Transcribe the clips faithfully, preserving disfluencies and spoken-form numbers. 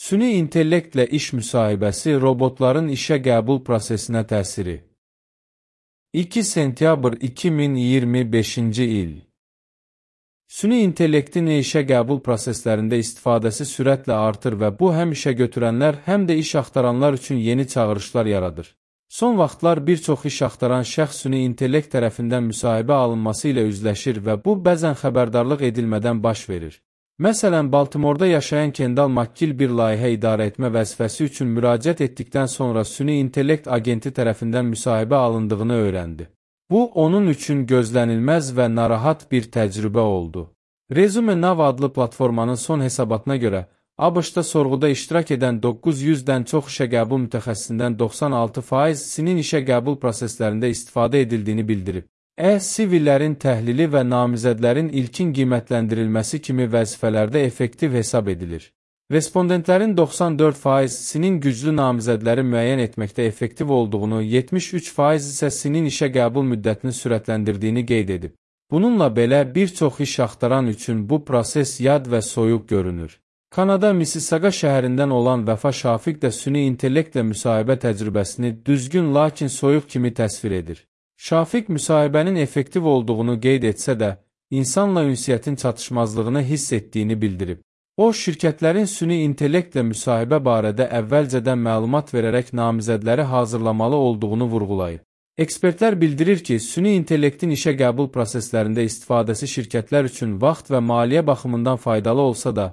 Süni intellektlə iş müsahibəsi robotların işə qəbul prosesinə təsiri. iki sentyabr iki min iyirmi beşinci il. Süni intellektin işə qəbul proseslərində istifadəsi sürətlə artır və bu həm işə götürənlər, həm də iş axtaranlar üçün yeni çağırışlar yaradır. Son vaxtlar bir çox iş axtaran şəxs süni intellekt tərəfindən müsahibə alınması ilə üzləşir və bu bəzən xəbərdarlıq edilmədən baş verir. Məsələn, Baltimorda yaşayan Kendall McGill bir layihə idarə etmə vəzifəsi üçün müraciət etdikdən sonra süni intellekt agenti tərəfindən müsahibə alındığını öyrəndi. Bu, onun üçün gözlənilməz və narahat bir təcrübə oldu. Resume Now adlı platformanın son hesabatına görə, ABŞ-da sorğuda iştirak edən doqquz yüzdən çox işə qəbul mütəxəssisindən doxsan altı faizinin işə qəbul proseslərində istifadə edildiyini bildirib. E-C V-lərin təhlili və namizədlərin ilkin qiymətləndirilməsi kimi vəzifələrdə effektiv hesab edilir. Respondentlərin doxsan dörd faizinin güclü namizədləri müəyyən etməkdə effektiv olduğunu, yetmiş üç faiz isə sinin işə qəbul müddətini sürətləndirdiyini qeyd edib. Bununla belə, bir çox iş axtaran üçün bu proses yad və soyuq görünür. Kanada Mississauga şəhərindən olan Vəfa Şafiq də süni intellektlə müsahibə təcrübəsini düzgün, lakin soyuq kimi təsvir edir. Şafiq müsahibənin effektiv olduğunu qeyd etsə də, insanla ünsiyyətin çatışmazlığını hiss etdiyini bildirib. O, şirkətlərin süni intellektlə müsahibə barədə əvvəlcədən məlumat verərək namizədləri hazırlamalı olduğunu vurğulayıb. Ekspertlər bildirir ki, süni intellektin işə qəbul proseslərində istifadəsi şirkətlər üçün vaxt və maliyyə baxımından faydalı olsa da,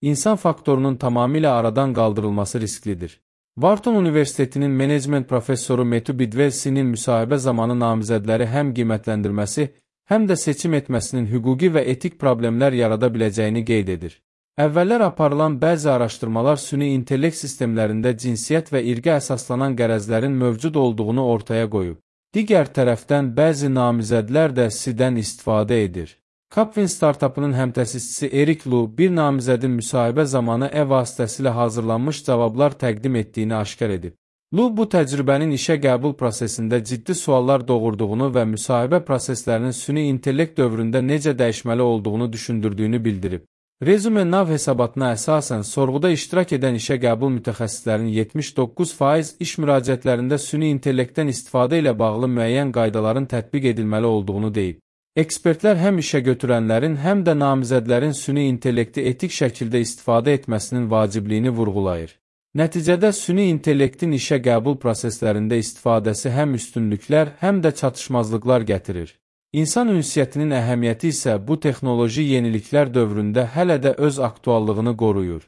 insan faktorunun tamamilə aradan qaldırılması risklidir. Wharton Universitetinin menecment professoru Matthew Bidwell-sinin müsahibə zamanı namizədləri həm qiymətləndirməsi, həm də seçim etməsinin hüquqi və etik problemlər yarada biləcəyini qeyd edir. Əvvəllər aparılan bəzi araşdırmalar süni intellekt sistemlərində cinsiyyət və irqə əsaslanan qərəzlərin mövcud olduğunu ortaya qoyub. Digər tərəfdən bəzi namizədlər də S I-dən istifadə edir. Capvin startupının həmtəsisçisi Eric Lu bir namizədin müsahibə zamanı e vasitəsilə hazırlanmış cavablar təqdim etdiyini aşkar edib. Lu bu təcrübənin işə qəbul prosesində ciddi suallar doğurduğunu və müsahibə proseslərinin süni intellekt dövründə necə dəyişməli olduğunu düşündürdüyünü bildirib. Resume Now hesabatına əsasən sorğuda iştirak edən işə qəbul mütəxəssislərinin yetmiş doqquz faiz iş müraciətlərində süni intellektdən istifadə ilə bağlı müəyyən qaydaların tətbiq edilməli olduğunu deyib. Ekspertlər həm işə götürənlərin, həm də namizədlərin süni intellekti etik şəkildə istifadə etməsinin vacibliyini vurğulayır. Nəticədə süni intellektin işə qəbul proseslərində istifadəsi həm üstünlüklər, həm də çatışmazlıqlar gətirir. İnsan ünsiyyətinin əhəmiyyəti isə bu texnoloji yeniliklər dövründə hələ də öz aktuallığını qoruyur.